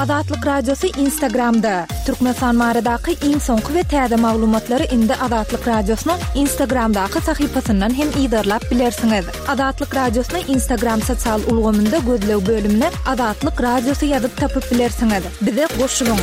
Azatlyk Radiosy Instagramda! Türkmenistan baradaky iň soňky we täze maglumatlary indi Azatlyk Radiosynyň Instagramdaky sahypasyndan hem yzarlap bilersiňiz. Azatlyk Radiosyny Instagram sosial ulgamynda gözleg bölümine Azatlyk Radiosy ýazyp tapyp bilersiňiz. Bize goşulyň!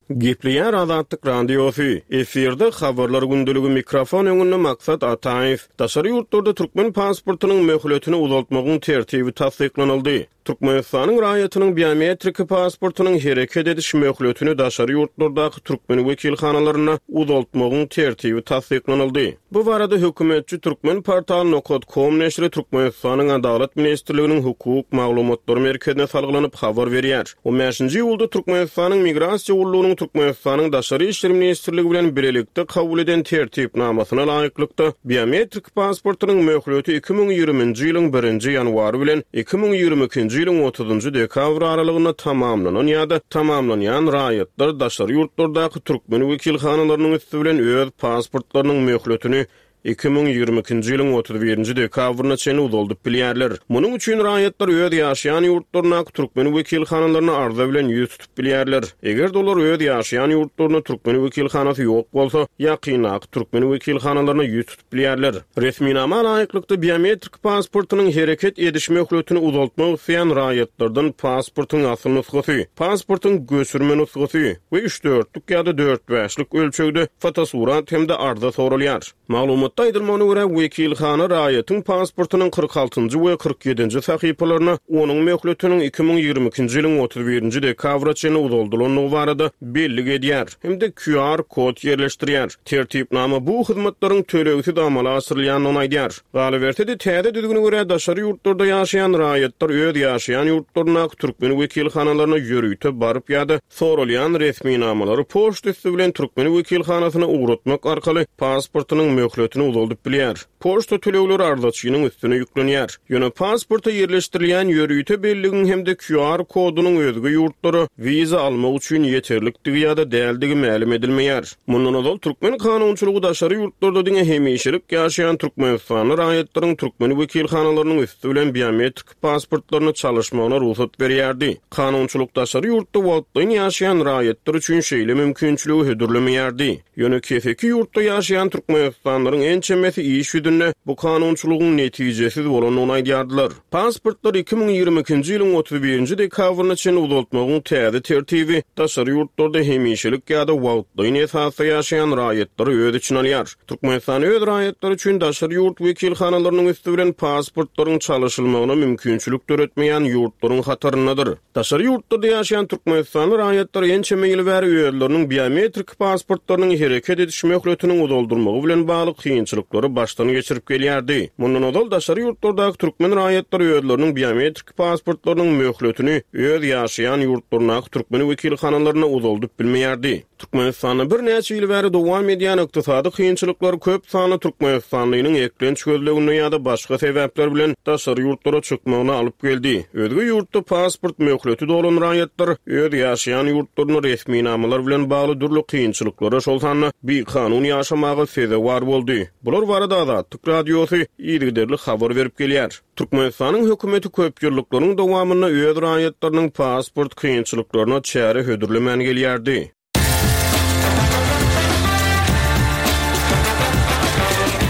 Gepleýär Azatlyk Radiosy, Efirde Habarlar gündeligi mikrofon öňünde Maksat Ataýew. Daşary ýurtlarda türkmen pasportynyň möhletini uzaltmagyň tertibi tassyklanyldy. Türkmenistanyň raýatynyň biometriki pasportynyň hereket ediş möhletini daşary ýurtlardaky türkmen wekilhanalarynda uzaltmagyň tertibi tassyklanyldy. Bu barada hökümetçi Turkmenportal nokat kom neşiri Türkmenistanyň Adalat ministrliginiň Hukuk maglumatlary merkezine salgylanyp habar berýär. On bäşinji iýulda Türkmenistanyň Migrasiýa gullugynyň Türkmenistanyň Daşary işler ministrligi bilen bilelikde kabul eden Tertipnamasyna laýyklykda, biometrik pasportynyň möhleti 2020-nji ýylyň birinji ýanwary bilen 2022-nji ýylyň otuzynjy dekabry aralygynda tamamlanan ýa-da tamamlanýan raýatlar daşary ýurtlardaky türkmen wekilhanalarynyň üsti bilen öz pasportlarynyň möhletini 2022-nji ýylyň 31-nji dekabryna çenli uzaldyp bilýärler. Munuň üçin raýatlar öz ýaşaýan ýurtlaryndaky türkmen wekilhanalaryna arza bilen ýüz tutup bilýärler. Eger-de olar öz ýaşaýan ýurtlarynda türkmen wekilhanasy ýok bolsa, ýakyndaky türkmen wekilhanalaryna ýüz tutup bilýärler. Resminama laýyklykda, biometrik pasportynyň hereket ediş möhletini uzaltmak isleýän raýatlardan pasportyň asyl nusgasy, pasportyň göçürme nusgasy we üçdörtlük ýa-da dörtbäşlik ölçegde fotosurat hem-de arza soralýar. Maglumatda aýdylmagyna görä, wekilhana raýatyň pasportynyň 46-njy we 47-nji sahypalaryna onuň möhletiniň 2022-nji ýylyň 31-nji dekabra çenli uzaldylandygy barada bellik edýär hem-de QR kod ýerleşdirýär. Tertipnama bu hyzmatlaryň tölegsiz amala aşyrylýandygyny aýdýar. Galyberse-de, täze düzgüne görä, daşary ýurtlarda ýaşaýan raýatlar öz ýaşaýan ýurtlaryndaky türkmen wekilhanalaryna ýörite baryp ýa-da soralýan resminamalary poçta üsti bilen türkmen wekilhanasyna ugratmak arkaly pasportynyň möhletini uzaldyp bilýär. Poçta tölegleri arzaçynyň üstüne ýüklenýär. Ýöne pasporta ýerleşdirilýän ýörite belligiň hem-de QR kodunyň özge ýurtlara wiza almak üçin ýeterlikdigi ýa-da däldigi mälim edilmeýär. Mundan ozal türkmen kanunçylygy daşary ýurtlarda diňe hemişelik ýaşaýan türkmenistanly raýatlaryň türkmen wekilhanalarynyň üsti bilen biometrik pasportlaryny çalyşmagyna rugsat berýärdi. Kanunçylyk daşary ýurtda wagtlaýyn ýaşaýan raýatlar üçin şeýle mümkinçiligi hödürlemeýärdi. Ýöne keseki ýurtda ýaşaýan türkmenistanlylaryň ençemesi iş ýüzünde bu kanunçylygyň netijesiz bolandygyny aýdýardylar. Pasportlary 2022-nji ýylyň 31-nji dekabryna çenli uzaltmagyň täze tertibi daşary ýurtlarda hemişelik ýa-da wagtlaýyn esasda ýaşaýan raýatlary öz içine alýar. Türkmenistan öz raýatlary üçin daşary ýurt wekilhanalarynyň üsti bilen pasportlaryň çalyşylmagyna mümkinçilik döretmeýän ýurtlaryň hataryndadyr. Daşary ýurtlarda ýaşaýan türkmenistanly raýatlar ençeme ýyl bäri özleriniň biometrik pasportlarynyň hereket ediş möhletiniň uzaldylmagy bilen bagly kynçylyklary başdan geçirip gelýärdi. Mundan ozal daşary ýurtlardaky türkmen raýatlary özleriniň biometrik pasportlarynyň möhletini öz ýaşaýan ýurtlaryndaky türkmen wekilhanalarynda uzaldyp bilmeýärdi. Türkmenistanda birnäçe ýyl bäri dowam edýän ykdysady kynçylyklar köp sanly türkmenistanlynyň eklenç gözleginde ýa-da başga sebäpler bilen daşary ýurtlara çykmagyna alyp geldi. Özge ýurtda pasport möhleti dolan raýatlar öz ýaşaýan ýurtlarynda resminamalar bilen bagly dürli kynçylyklara, şol sanda bikanun ýaşamaga sezewar boldy. Bular barada Azatlyk Radiosy yzygiderli habar berip gelýär. Türkmenistanyň hökümeti köp ýyllyklaryň dowamynda öz raýatlarynyň pasport kynçylyklaryna çäre hödürlemän gelýärdi.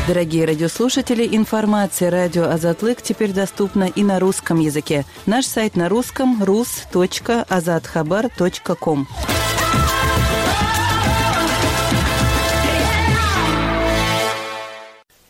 Дорогие радиослушатели, информация радио Азатлык теперь доступна и на русском языке. Наш сайт на русском rus.azathabar.com.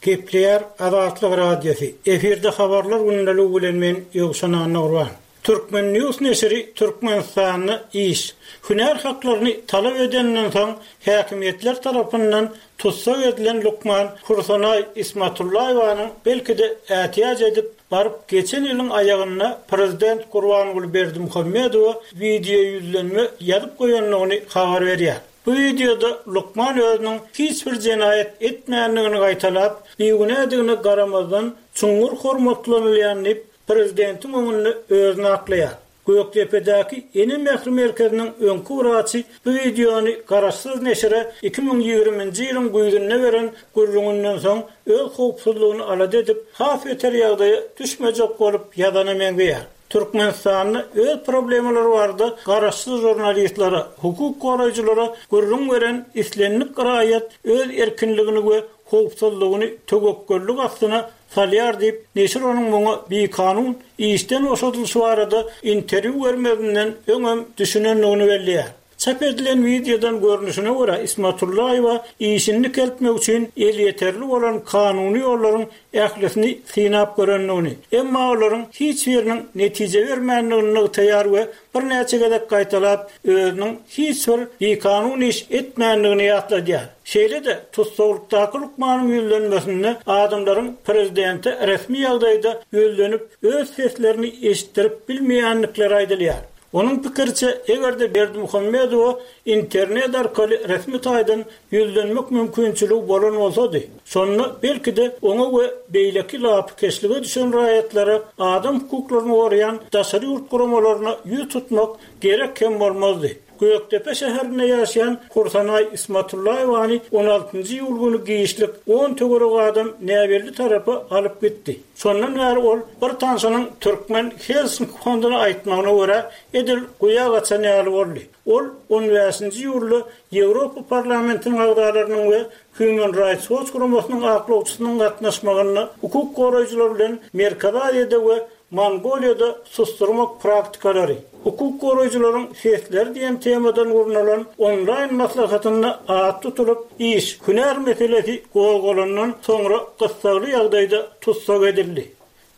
Gepleýär Azatlyk Radiosy, efirde Habarlar gündeligi bilen men Ýowşan Annagurban. Turkmen. News neşiri Türkmenistanda iş, hünär haklaryny talap edeninden soň häkimiýetler tarapyndan tussag edilen lukman Hursanaý Ismatullaýewanyň belki-de ätiýaç edip baryp geçen ýylyň aýagynda prezident Gurbanguly Berdimuhamedowa wideoýüzlenme ýazyp goýandygyny habar berýär. Bu wideoda lukman özüniň hiç bir jenaýat etmändigini gaýtalap, bigünädigine garamazdan çuňňur hormatlanylýan diýip, prezidentiň öňünde özüni aklaýar. Gökdepedäki Ene mähri merkeziniň öňki wraçy bu wideony garaşsyz neşire 2020-nji ýylyň güýzünde beren gürrüňinden soň öz howpsuzlygyny alada edip, has beter ýagdaýa düşmejek bolup ýazana meňzeýär. Türkmenistanda öz problemalary barada garaşsyz žurnalistlere, hukuk goraýjylara gürrüň beren islendik raýat öz erkinligini we howpsuzlygyny töwekgellik astyna salýar diýip, neşir onuň muňa bikanun işden boşadylyşy barada interwýu bermezinden öňem düşünendigini belleýär. Çap edilen wideodan görnüşine görä, Ismatullaýewa işini dikeltmek üçin elýeterli bolan kanuny ýollaryň ählisini synap görendigini, emma olaryň hiç biriniň netije bermändigini nygtaýar we birnäçe gezek gaýtalap, özüniň hiç bir bikanun iş etmändigini ýatladýar. Şeýle-de, tussaglykdaky lukmanyň ýüzlenmesinde adamlaryň prezidente resmi ýagdaýda ýüzlenip, öz seslerini eşitdirip bilmeýändikleri aýdylýar. Onuň pikiriçe, eger-de Berdimuhamedowa internet arkaly resmi taýdan ýüzlenmek mümkinçiligi bolan bolsady, şonda, belki-de, oňa we beýleki lapykeçlige düşen raýatlara adam hukuklaryny goraýan daşary ýurt guramalaryna ýüz tutmak gerek hem bolmazdy. Gökdepe şäherinde ýaşaýan Hursanaý Ismatullaýewany on altynjy iýul güni giçlik on töweregi adam näbelli tarapa alyp gitdi. Şondan bäri ol bir tanşynyň Türkmen Helsinki fonduna aýtmagyna görä, edil guýa gaçan ýaly boldy. Ol on bäşinji iýulda Ýewropa Parlamentiniň agzalarynyň we Human Rights Watch guramasynyň aklawçysynyň gatnaşmagynda hukuk goraýjylar bilen Merkezi Aziýada we Mongoliýada susdurmak praktikalary, hukuk goraýjylaryň sesleri diýen temadan gurnalan onlaýn maslahatynda at tutulyp, iş, hünär meselesi gozgalandan soňra gyssagly ýagdaýda tussag edildi.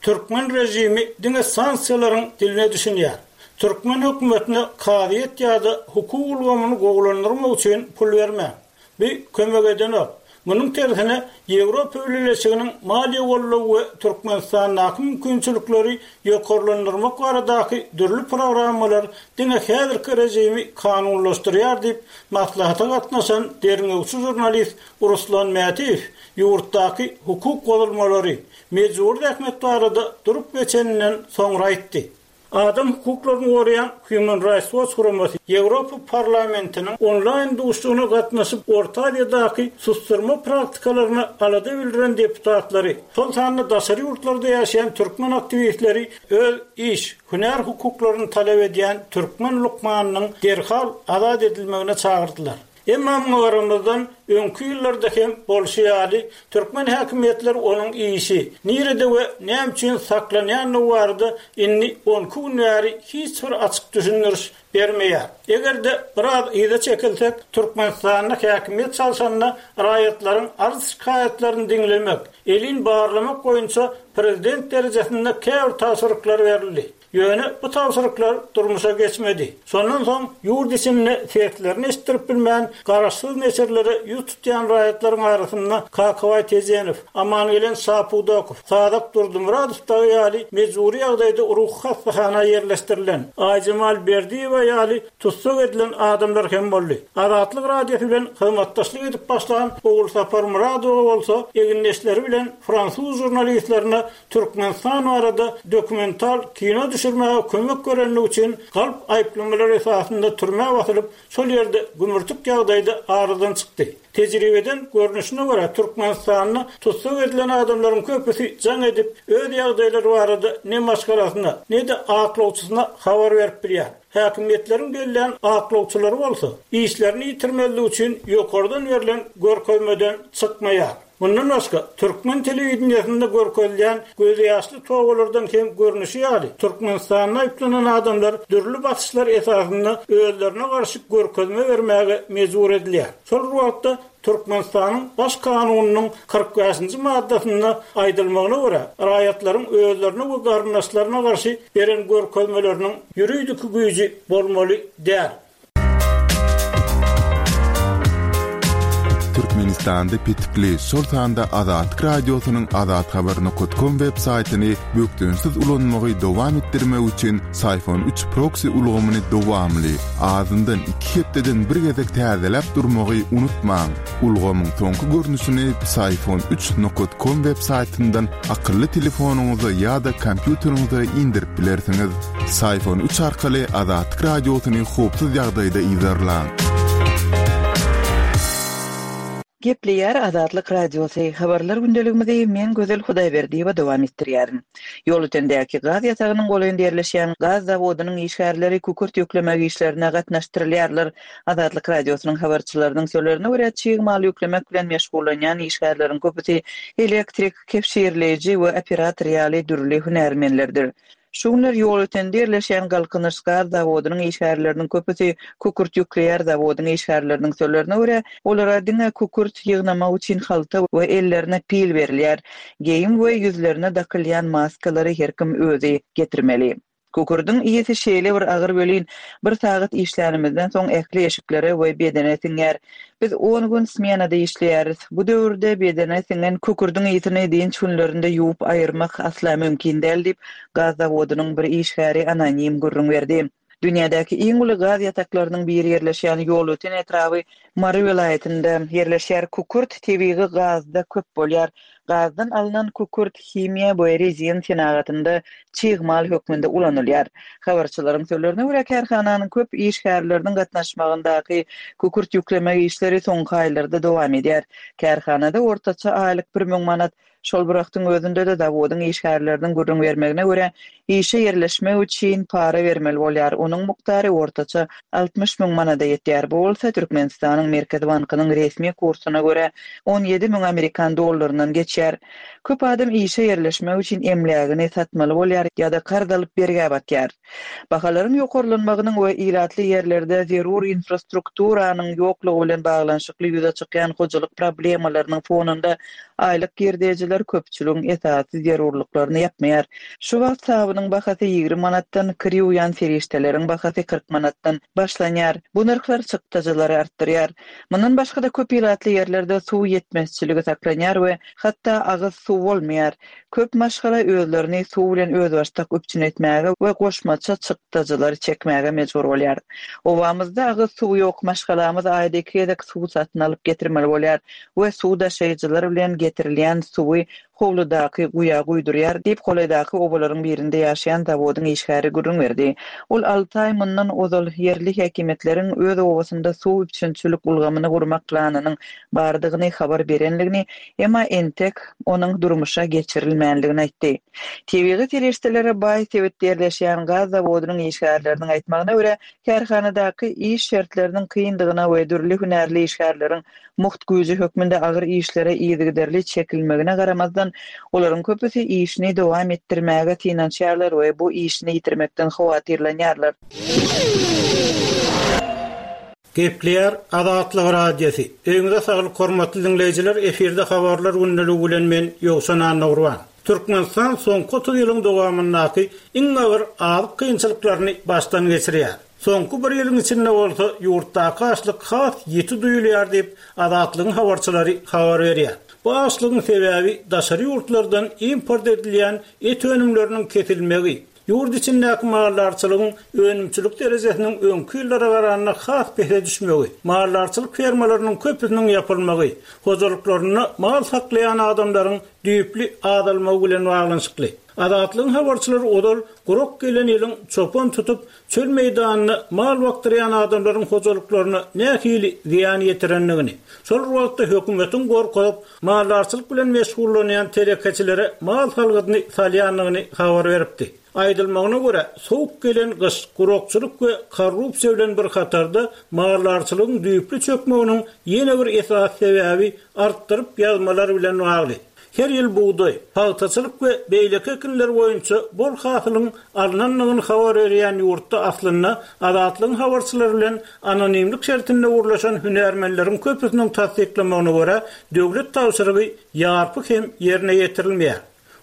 Türkmen režimi diňe sanksiýalaryň diline düşünýär. Türkmen hökümetine kazyýet ýa-da hukuk ulgamyny gowulandyrmak üçin pul bermäň. Bu kömek edenok. Munuň tersine, Ýewropa Bileleşiginiň maliýe goldawy we Türkmenistandaky mümkinçilikleri ýokarlandyrmak baradaky dürli programmalar diňe häzirki režimi kanunlaşdyrýar diýip, maslahata gatnaşan derňewçi žurnalist Ruslan Mätiýew ýurtdaky hukuk bozulmalary, mejbury zähmet barada durup geçeninden soňra aýtdy. Adam hukuklaryny goraýan Human Rights Watch guramasy Ýewropa Parlamentiniň onlaýn duşuşygyna gatnaşyp, Orta Aziýadaky susdurma praktikalaryna alada bildiren deputatlary, şol sanda daşary ýurtlarda ýaşaýan türkmen aktiwistleri öz iş, hünär hukuklaryny talap edýän türkmen lukmanynyň derhal azat edilmegine çagyrdylar. Emma muňa garamazdan, öňki ýyllarda hem bolşy ýaly, türkmen häkimiýetleri onuň işi, nirede we näme üçin saklanýandygy barada indi on iki gün bäri hiç bir açyk düşündiriş bermeýär. Eger-de biraz yza çekilsek, Türkmenistanda häkimiýet çalşanda raýatlaryň arz-şikaýatlaryny diňlemek, elin barlamak boýunça prezident derejesinde käbir tabşyryklar berildi. Ýöne bu tabşyryklar durmuşa geçmedi. Şondan soň ýurt içinde seslerini eşitdirip bilmän, garaşsyz neşirlere ýüz tutýan raýatlaryň arasynda Kakabaý Tejenow, Amangelen Şapudakow, Sazak Durdymyradow dagy ýaly mejbury ýagdaýda ruhy hassahana ýerleşdirilen, Aýjemal Berdiýewa ýaly tussag edilen adamlar hem boldy. Azatlyk Radiosy bilen hyzmatdaşlyk edip başlan Ogulsapar Myradowa bolsa egindeşleri bilen fransuz žurnalistlerine Türkmenistan barada dokumental kino düşürmäge kömek berenligi üçin galp aýyplamalar esasynda türmä basylyp, şol ýerde gümürtik ýagdaýda aradan çykdy. Tejribeden görnüşine görä, Türkmenistanda tussag edilen adamlaryň köpüsi jaň edip, öz ýagdaýlary barada ne maşgalasyna, ne-de aklawçysyna habar berip bilýär. Häkimiýetleriň bellän aklawçylary bolsa, işlerini ýitirmezlik üçin ýokardan berlen görkezmeden çykmaýar. Mundan başga, türkmen telewideniýesinde görkezilýän gözýaşly tobalardan hem görnüşi ýaly, Türkmenistanda aýyplanan adamlar dürli basyşlar esasynda özlerine garşy görkezme bermäge mejbur edilýär. Şol bir wagtda, Türkmenistanyň Baş kanunynyň 45-nji maddasynda aýdylmagyna görä, raýatlaryň özlerine we garyndaşlaryna garşy beren görkezmeleriniň ýuridiki güýji bolmaly däl. Türkmenistanda petikli, şol sanda Azatlyk Radiosynyň azathabar.com web saýtyny bökdençsiz ulanmagy dowam etdirmek üçin Syfon üç proksi ulgamyny dowamly, azyndan iki hepdeden bir gezek täzeläp durmagy unutmaň. Ulgamyň soňky görnüşini Psiphon üç nokat kom web saýtyndan akylly telefonyňyza ýa-da kompýuteriňize indirip bilersiňiz. Psiphon üç arkaly Azatlyk Radiosyny howpsuz ýagdaýda yzarlaň. Gepleýär Azatlyk Radiosy, Habarlar gündeligimizi men Gözel Hudaýberdiýewa dowam etdirýärin. Ýolötendäki gaz ýatagynyň golaýynda ýerleşýän gaz zawodynyň işgärleri kükürt ýüklemek işlerine gatnaşdyrylýarlar. Azatlyk Radiosynyň habarçylarynyň sözlerine görä, çig mal ýüklemek bilen meşgullanýan işgärleriň köpüsi elektrik, kebşirleýji we operator ýaly dürli hünärmenlerdir. Şu günler Ýolötende ýerleşýän Galkynyş gaz zawodynyň işgärleriniň köpüsi kükürt ýükleýär Zawodyň işgärleriniň sözlerine görä, olara diňe kükürt ýygnamak üçin halta we ellerine pil berilýär. Geýim we ýüzlerine dakylýan maskalary her kim özi getirmeli. Kükürdiň ysy şeýle bir agyr welin, bir sagat işlänimizden soň ähli eşiklere we bedene siňýär. Biz on gün smenada işleýäris. Bu döwürde bedene siňen kükürdiň ysyny dynç günlerinde ýuwup aýyrmak asla mümkin däl diýip, gaz zawodynyň bir işgäri anonim gürrüň berdi. Dünýädäki iň uly gaz ýataklarynyň biri ýerleşýän Ýolöten etraby Mary welaýatynda ýerleşýär. Kükürt tebigy gazda köp bolýar. Gazdan alnan kükürt himiýa we rezin senagatynda çig mal hökmünde ulanylýar. Habarçylaryň sözlerine görä, kärhananyň köp işgärleriniň gatnaşmagyndaky kükürt ýüklemek işleri soňky aýlarda dowam edýär. Kärhanada ortaça aýlyk 1000 manat Şol bir wagtyň özünde-de zawodyň işgärleriniň gürrüň bermegine görä, işe ýerleşmek üçin para bermeli bolýar, onuň mukdary ortaça 60 müň manada ýetýär, bu bolsa Türkmenistanyň Merkezi bankynyň resmi kursuna görä, 17 müň amerikan dollaryndan geçýär. Köp adam işe ýerleşmek üçin emlägini satmaly bolýar ýa-da karz alyp bergä batýar. Bahalaryň ýokarlanmagynyň we ilatly ýerlerde zerur infrastrukturanyň ýoklugy bilen baglanyşykly ýüze çykýan hojalyk problemalarynyň fonunda aýlyk girdejiler köpçüligiň esasy zerurlyklaryny ýapmaýar. Şu wagt sabynyň bahasy 20 manatdan, kir ýuwýan serişdeleriň bahasy 40 manatdan başlanýar. Bu nyrhlar çykdajylary artdyrýar. Mundan başga-da köp ilatly ýerlerde suw ýetmezçiligi saklanýar we hatda agyz suw bolmaýar. Köp maşgala özlerini suw bilen özbaşdak üpjün etmäge we goşmaça çykdajylary çekmäge mejbur bolýar. Obamyzda agyz suwy ýok, maşgalamyz aýda iki gezek suw satyn alyp getirmeli bolýar we suw daşaýjylar bilen getirilýän suwy howludaky guýa guýdurýar diýip, golaýdaky obalaryň birinde ýaşaýan zawodyň işgäri gürrüň berdi. Ol alty aý mundan ozal ýerli häkimiýetleriň öz obasynda suw üpjünçilik ulgamyny gurmak planynyň bardygyny habar berenligini, emma entek onuň durmuşa geçirilmänligini aýtdy. Tebigy serişdelere baý sebitde ýerleşýän gaz zawodynyň işgärleriniň aýtmagyna görä, kärhanadaky iş şertleriniň kyndygyna we dürli hünärli işgärleriň mugt güýji hökmünde agyr işlere yzygiderli çekilmegine garamazdan, olaryň köpüsi işini dowam etdirmäge synanyşýarlar we bu işini ýitirmekden howatyrlanýarlar. Gepleýär Azatlyk Radiosy. Öýüňize saglyk hormatly diňleýjiler efirde habarlar gündeligi bilen men Ýowşan Annagurban. Türkmenistan soňky 30 ýylyň dowamyndaky iň agyr azyk kynçylyklaryny başdan geçirýär. Soňky bir ýylyň içinde bolsa ýurtdaky açlyk has ýiti duýulýar diýip, Azatlygyň habarçylary habar berýär. Bu açlygyň sebäbi daşary ýurtlardan import edilýän et önümleriniň kesilmegi, Ýurt içindäki maldarçylygyň önümçilik derejesiniň öňki ýyllara garanda has pese düşmegi, maldarçylyk fermalarynyň köpüsiniň ýapylmagy, hojalyklarynda mal saklaýan adamlaryň düýpli azalmagy bilen baglanyşykly. Azatlygyň habarçylary ozal gurak gelen ýylyň çopan tutup, çöl meýdanynda mal bakdyrýan adamlaryň hojalyklaryna nähili zyýan ýetirendigini, şol bir wagtda hökümetiň gorkuzyp, maldarçylyk bilen meşgullanýan telekeçilere mal salgydyny salýandygyny habar beripdi. Aýdylmagyna görä, sowuk gelen gyş, gurakçylyk we korrupsiýa bilen bir hatarda maldarçylygyň düýpli çökmeginiň ýene bir esasy sebäbi artdyryp ýazmalar bilen bagly. Her ýyl bugdaý, pagtaçylyk we beýleki ekinler boýunça bol hasylyň alnandygyny habar berýän ýurtda aslynda Azatlygyň habarçylary bilen anonimlik şertinde gürleşen hünärmenleriň köpüsiniň tassyklamagyna görä, döwlet tabşyrygy ýarpy hem ýerine ýetirilmeýär.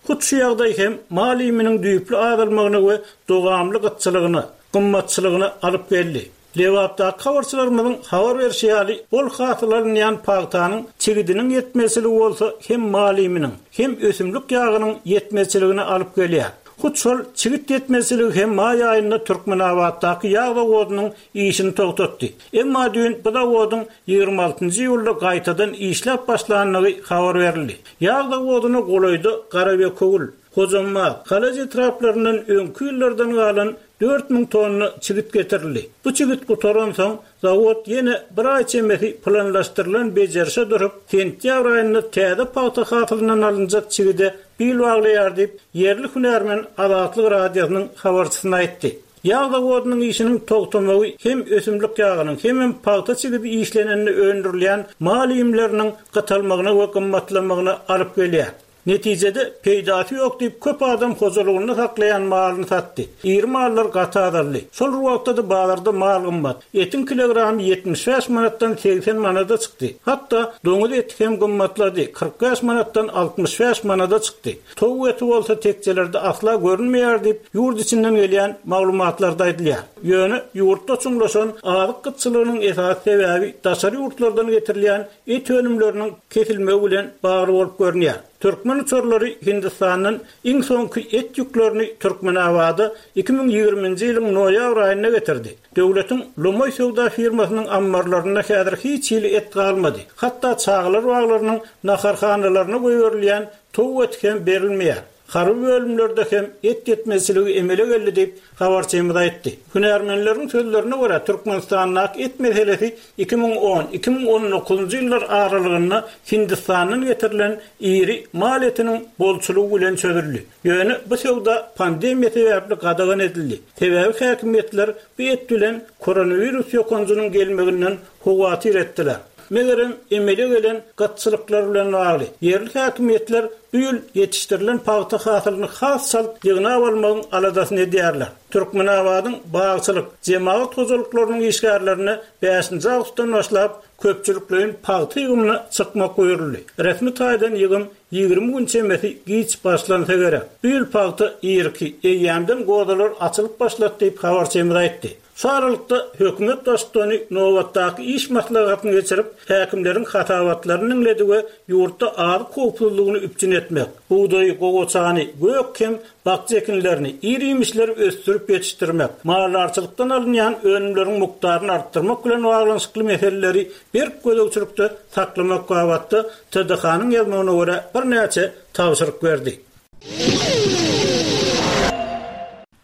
Hut şu ýagdaý hem mal iýminiň düýpli azalmagyna we dowamly gytçylygyna, gymmatçylygyna alyp geldi. Lebapdaky habarçylarymyzyň habar berşi ýaly, bol hasyl alynýan pagtanyň çigidiniň ýetmezçiligi bolsa hem mal iýminiň, hem ösümlik ýagynyň ýetmezçiligine alyp gelýär. Hut şol çigit ýetmezçiligi hem maý aýynda Türkmenabatdaky ýag zawodynyň işini togtatdy. Emma düýn bu zawodyň 26 iýulda gaýtadan işläp başlandygy habar berildi. Ýag zawodyna golaýda Garabekewül, Hojambaz, Halaç etraplaryndan öňki ýyllardan galan 4000 tonna çigit getirildi. Bu çigit gutaransoň, zawod ýene bir aý çemesi planlaşdyrylan bejerişe durup, sentýabr aýynda täze pagta hasylyndan alynjak çigide bil baglaýar diýip, ýerli hünärmen Azatlyk Radiosynyň habarçysyna aýtdy. Ýag zawodynyň işiniň togtamagy hem ösümlik ýagynyň, hemem pagta çigidi işlenende öndürilýän mal iýmleriniň gytalmagyna we gymmatlamagyna alyp gelýär. Netijede, peýdasy ýok diýip, köp adam hojalygynda saklaýan malyny satdy. Iri mallar gaty azaldy. Şol bir wagtda-da bazarda mal gymmat. Etiň kilogramy 75 manatdan 80 manada çykdy. Hatda doňuz eti hem gymmatlady, 45 manatdan 65 manada çykdy. Towuk eti bolsa tekjelerde asla görünmeýär diýip, ýurt içinden gelýän maglumatlarda aýdylýar. Ýöne ýurtda çuňlaşan azyk gytçylygynyň esasy sebäbi daşary ýurtlardan getirilýän et önümleriniň kesilmegi bilen bagly bolup görünýär. Türkmen uçarlary Hindistandan iň soňky et ýüklerini Türkmenabada 2020-nji ýylyň noýabr aýynda getirdi. Döwletiň lomaý söwda firmasynyň ammarlarynda häzir hiç hili et galmady. Hatda çagalar baglarynyň naharhanalaryna goýberilýän towuk eti hem berilmeýär. Harby bölümlerde hem et ýetmezçiligi emele geldi diýip, habarçymyz aýtdy. Hünärmenleriň sözlerine görä, Türkmenistandaky et meselesi 2010, 2019-njy ýyllar aralygynda Hindistandan getirilen iri mal etiniň bolçulygy bilen çözüldi. Ýöne bu söwda pandemiýa sebäpli gadagan edildi. Sebäbi häkimiýetler bu et bilen koronawirus ýokanjynyň gelmeginden howatyr etdiler. Megerem, emele gelen gytçylyklar bilen bagly, ýerli häkimiýetler bu ýyl ýetişdirilen pagta hasylyny has çalt ýygnap almagyň aladasyny edýärler. Türkmenabadyň bagçylyk, jemagat hojalyklarynyň işgärlerine bäşinji awgustdan başlap köpçülikleýin pagta ýygymyna çykmak buýruldy. Resmi taýdan ýygym 20 gün çemesi giç başlansa gerek. Bu ýyl pagta irki, eýýämden gozalar açylyp başlady diýip, habarçymyz aýtdy. Şu aralykda, hökümet baştutany nobatdaky iş maslahatyny geçirip, häkimleriň hasabatlaryny diňledi we ýurtda azyk howpsuzlygyny üpjün etmek, bugdaýy, gowaçany, gök hem bakja ekinlerini, ir-iýmişleri ösdürip ýetişdirmek, maldarçylykdan alynýan önümleriň mukdaryny artdyrmak bilen baglanyşykly meseleleri berk gözegçilikde saklamak babatda TDH-nyň ýazmagyna görä birnäçe tabşyryk berdi.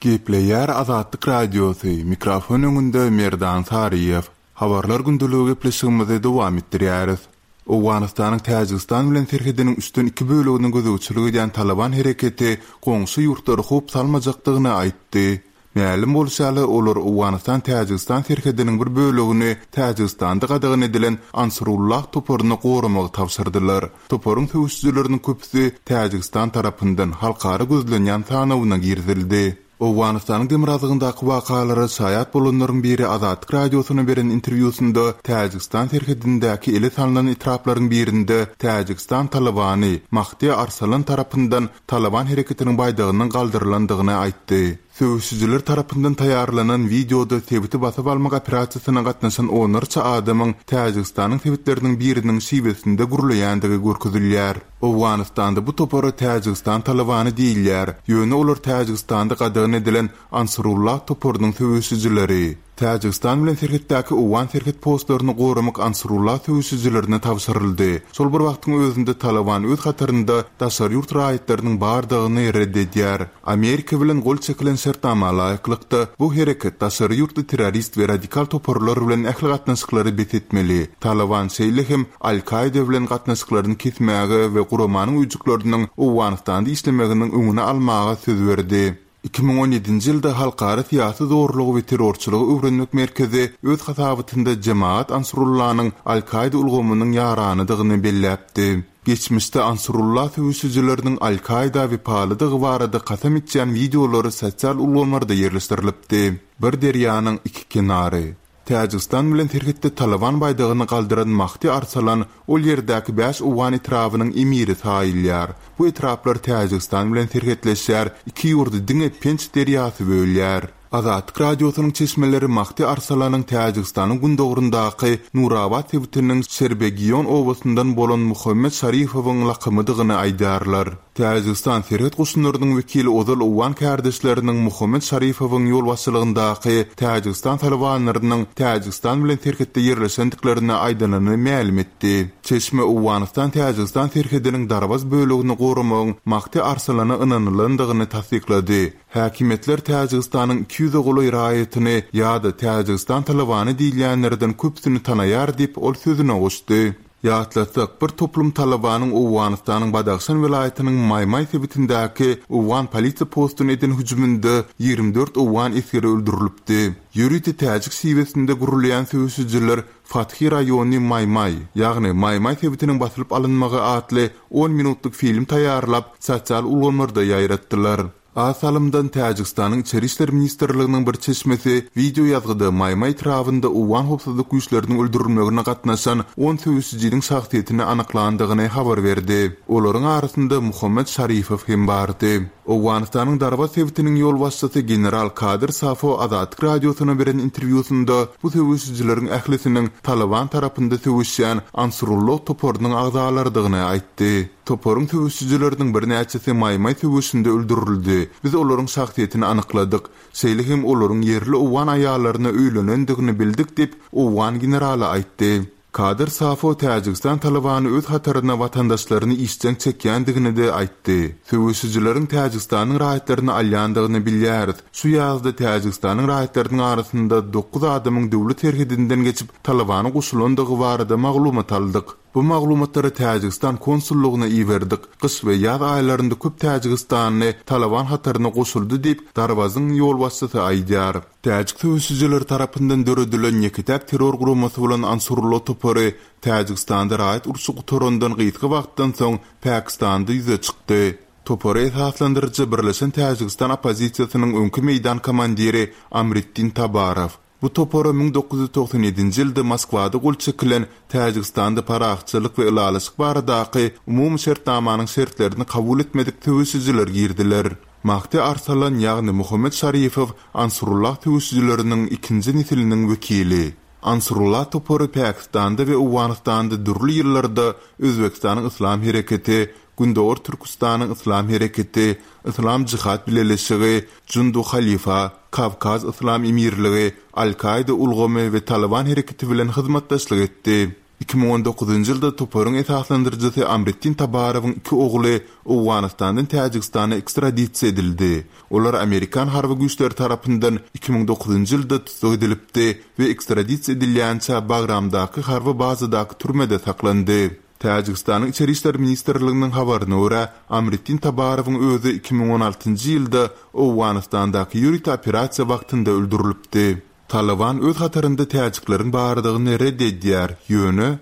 Gepleýär Azatlyk Radiosy, mikrofon öňünde Merdan Saryýew. Habarlar gündeligi gepleşigimizi dowam etdirýäris. Owganystanyň Täjigistan bilen serhediniň üçden iki bölegine gözegçilik edýän Talyban hereketi goňşy ýurtlara howp salmajakdygyny aýtdy. Mälim bolşy ýaly, olar Owganystan-Täjigistan serhediniň bir bölegini Täjigistanda gadagan edilen Ansarullah toparyna goramagy tabşyrdylar. Toparyň söweşijileriniň köpüsi Täjigistan tarapyndan halkara gözlenýän sanawyna girizildi. Owganystanyň demirgazygyndaky wakalara şaýat bolanlaryň biri Azatlyk Radiosyna beren interwýusynda Täjigistan serhedindäki ele salnan etraplaryň birinde Täjigistan talybany Mahdi Arsalan tarapyndan Talyban hereketiniň baýdagynyň galdyrylandygyny aýtdy. Söweşijiler tarapyndan taýýarlanan wideoda sebiti basyp almak operasiýasyna gatnaşan onlarça adamyň Täjigistanyň sebitleriniň biriniň şiwesinde gürleýändigi görkezilýär. Owganystanda bu topara Täjigistan Talybany diýilýär, ýöne olar Täjigistanda gadagan edilen Ansarullah toparynyň söweşijileri. Täjigistan bilen serhetdäki owgan serhet postlaryny goramak Ansarullah söweşijilerine tabşyryldy. Şol bir wagtyň özünde Talyban öz hatarynda daşary ýurt raýatlarynyň bardygyny ret edýär. Amerika bilen gol çekilen şertnama laýyklykda, bu hereket daşary ýurtly terrorist we radikal toparlar bilen ähli gatnaşyklary bes etmeli. Talyban şeýle hem Al-Kaida bilen gatnaşyklaryny kesmäge we guramanyň öýjükleriniň Owganystanda işlemeginiň öňüni almaga söz berdi. 2017-nji ýylda Halkara syýasy zorlugy we terrorçylygy öwrenmek merkezi öz hasabatynda Jemaat Ansrullanyň Al-Kaida ulgamynyň ýaranydygyny belläpdi. Geçmişde Ansrullah söweşijileriniň Al-Kaida wepalydygy barada kasam içýän wideolary sosial ulgamlarda ýerleşdirilipdi. Bir derýanyň iki kenary. Täjigistan bilen serhetde Talyban baýdagyny galdyran Mahdi Arsalan ol ýerdäki bäş owgan etrabynyň emiri saýylýar. Bu etraplar Täjigistan bilen serhetleşýär, iki ýurdy diňe Penç derýasy bölýär. Azatlyk Radiosynyň çeşmeleri Mahdi Arsalanyň Täjigistanyň gündogaryndaky Nurabat sebitiniň Şerbegiýon obasyndan bolan Muhammet Şarifowyň lakamydygyny aýdýarlar. Täjigistan serhet goşunlarynyň wekili ozal owgan kärdeşleriniň Muhammet Şarifowyň ýolbaşçylygyndaky Täjigistan talybanlarynyň Täjigistan bilen serhetde ýerleşendiklerini aýdanyny mälim etdi. Çeşme Owganystan-Täjigistan serhediniň Darwaz bölegini goramagyň Mahdi Arsalana ynanylandygyny tassyklady. Häkimiýetler Täjigistanyň 200-e golaý raýatyny ýa-da Täjigistan talybany diýilýänlerden köpüsini tanaýar diýip, ol sözüne goşdy. Ýatlatsak, bir toplum talybanyň Owganystanyň Badahşan welaýatynyň Maýmaý sebitindäki owgan polisiýa postuna eden hüjüminde 24 owgan esgeri öldürilipdi. Ýörite täjik şiwesinde gurulýan söweşijiler Fathy raýony Maýmaý, ýagny Maýmaý sebitiniň basylyp alynmagy atly on minutlyk film taýýarlap, sosial ulgamlarda ýaýratdylar. Az salymdan Täjigistanyň Içeri işler ministrliginiň bir çeşmesi wideo ýazgyda Maýmaý etrabynda owgan howpsuzlyk güýçleriniň öldürilmegine gatnaşan on söweşijiniň şahsyýetini anyklandygyny habar berdi. Olaryň arasynda Muhammet Şarifow hem bardy. Owganystanyň Darwaz sebitiniň ýolbaşçysy general Kadyr Safo Azatlyk Radiosyna beren interwýusynda bu söweşijileriň ählisiniň Talyban tarapynda söweşýän Ansurullah toparynyň agzalarydygyny aýtdy. Toparyň söweşijileriniň birnäçesi Maýmaý söweşinde öldürildi. Biz olaryň şahsyýetini anykladyk. Şeýle hem olaryň ýerli owgan aýallaryna öýlenendigini bildik diýip, owgan generaly aýtdy. Kadyr Safo Täjigistan Talybany öz hataryna watandaşlaryny işjeň çekýändigini-de aýtdy. Söweşijileriň Täjigistanyň raýatlaryny alýandygyny bilýäris. Şu ýazda Täjigistanyň raýatlarynyň arasynda dokuz adamyň döwlet serhedinden geçip Talybana goşulandygy barada maglumat aldyk. Bu maglumatlary Täjigistan konsullygyna iberdik. Gyş we ýaz aýlarynda köp täjigistanly Talyban hataryna goşuldy diýip, Darwazyň ýolbaşçysy aýdýar. Täjik söweşijileri tarapyndan döredilen ýeke-täk terror guramasy bolan Ansurullah topary Täjigistanda raýat urşy gutarandan gysga wagtdan soň Pakistanda ýüze çykdy. Topary esaslandyryjy Birleşen Täjigistan oppozisiýasynyň öňki meýdan komandiri Amriddin Tabarow. Bu topara 1997-nji ýylda Moskwada gol çekilen Täjigistanda parahatçylyk we ylalaşyk baradaky umumy şertnamanyň şertlerini kabul etmedik söweşijiler girdiler. Mahdi Arsalan, ýagny Muhammet Şarifow Ansurullah söweşijileriniň ikinji nesiliniň wekili. Ansurullah topary Pakistanda we Owganystanda dürli ýyllarda Özbegistanyň Yslam hereketi, Gündogar Türküstanyň Yslam hereketi, Yslam Jihad bileleşigi, Jundu Halifa, Kawkaz Yslam emirligi, Al-Kaida ulgamy we Talyban hereketi bilen hyzmatdaşlyk etdi. 2019-njy ýylda toparyň esaslandyryjysy Amriddin Tabarowyň iki ogly Owganystandan Täjigistana ekstradisiýa edildi. Olar amerikan harby güýçleri tarapyndan 2009-njy ýylda tussag edilipdi we ekstradisiýa edilýänçä Bagramdaky harby bazadaky türmede saklandy. Täjigistanyň Içeri işler ministrliginiň habaryna görä, Amriddin Tabarowyň özi 2016-njy ýylda Owganystandaky ýörite operasiýa wagtynda öldürilipdi. Talyban öz hatarynda täjikleriň bardygyny ret edýär, ýöne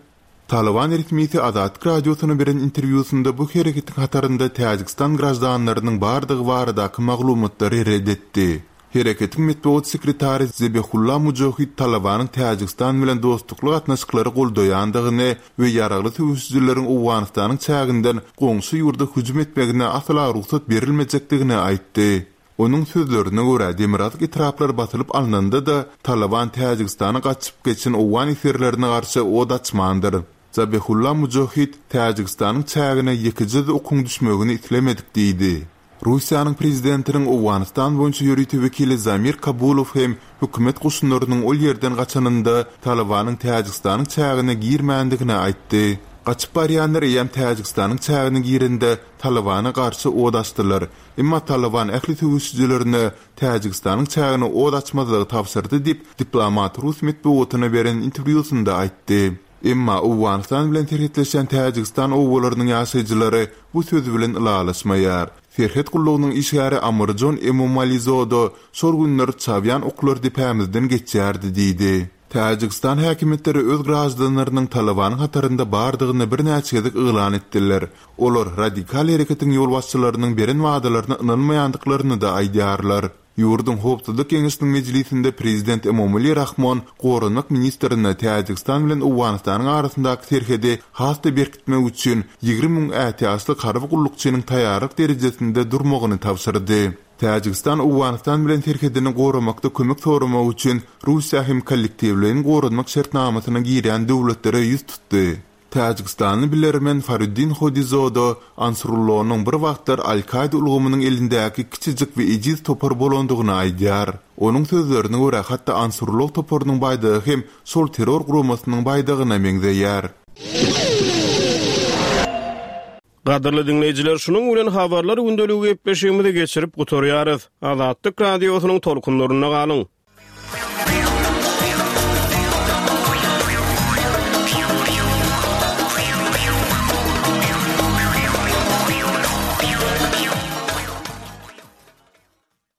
Talyban resmisi Azatlyk Radiosyna beren interwýusynda bu hereketiň hatarynda Täjigistan graždanlarynyň bardygy baradaky maglumatlary ret etdi. Hereketiň metbugat sekretary Zebihulla Mujohid Talybanyň Täjigistan bilen dostlukly gatnaşyklary goldaýandygyny we ýaragly söweşijileriň Owganystanyň çäginden goňşy ýurda hüjüm etmegine asla rugsat berilmejekdigini aýtdy. Onuň sözlerine görä, demirgazyk etraplar basylyp alnanda-da, Talyban Täjigistana gaçyp geçen owgan esgerlerine garşy ot açmandyr. Zabihulla Mujohid, Täjigistanyň çägine ýekeje-de okuň düşmegini islemedik diýdi. Russiýanyň prezidentiniň Owganystan boýunça ýörite wekili Zamir Kabulow hem hökümet goşunlarynyň ol ýerden gaçanynda Talybanyň Täjigistanyň çägine girmändigini aýtdy. Gaçyp barýanlar eýýäm Täjigistanyň çägine girende Talybana garşy ot açdylar. Emma Talyban ähli söweşijilerine Täjigistanyň çägine ot açmazlygy tabşyrdy diýip, diplomat rus metbugatyna beren interwýusynda aýtdy. Emma Owganystan bilen serhetleşýän Täjigistan obalarynyň ýaşaýjylary bu söz bilen ylalaşmaýar. Serhet gullugynyň işgäri Amirjon Emomalizoda şol günler çawýan oklar depämizden geçýärdi diýdi. Täjigistan häkimiýetleri öz graždanlarynyň Talybanyň hatarynda bardygyny birnäçe gezek yglan etdiler. Olar radikal hereketiň ýolbaşçylarynyň beren wadalaryna ynanmaýandyklaryny-da aýdýarlar. Ýurduň Howpsuzlyk geňeşiniň mejlisinde prezident Emomali Rahmon goranmak ministrine Täjigistan bilen Owganystanyň arasyndaky serhedi has-da berkitmek üçin 20 müň ätiýaçlyk harby gullukçynyň taýýarlyk derejesinde durmagyny tabşyrdy. Täjigistan Owganystan bilen serhedini goramakda kömek soramak üçin Russiýa hem kollektiwleýin goranmak şertnamasyna girýän döwletlere ýüz tutdy. Täjigistanly bilermen Faruddin Hodizoda Ansurullonyň bir wagtlar Al-Kaýda ulgamynyň elindäki kiçijik we ejiz topar bolandygyny aýdýar. Onuň sözlerine görä, hatda Ansurullo toparynyň baýdagy hem şol terror guramasynyň baýdagyna meňzeýär. Gadyrly diňleýjiler, şunuň bilen Habarlar gündeligi gepleşigimizi geçirip gutarýarys. Azatlyk Radiosynyň tolkunlarynda galyň!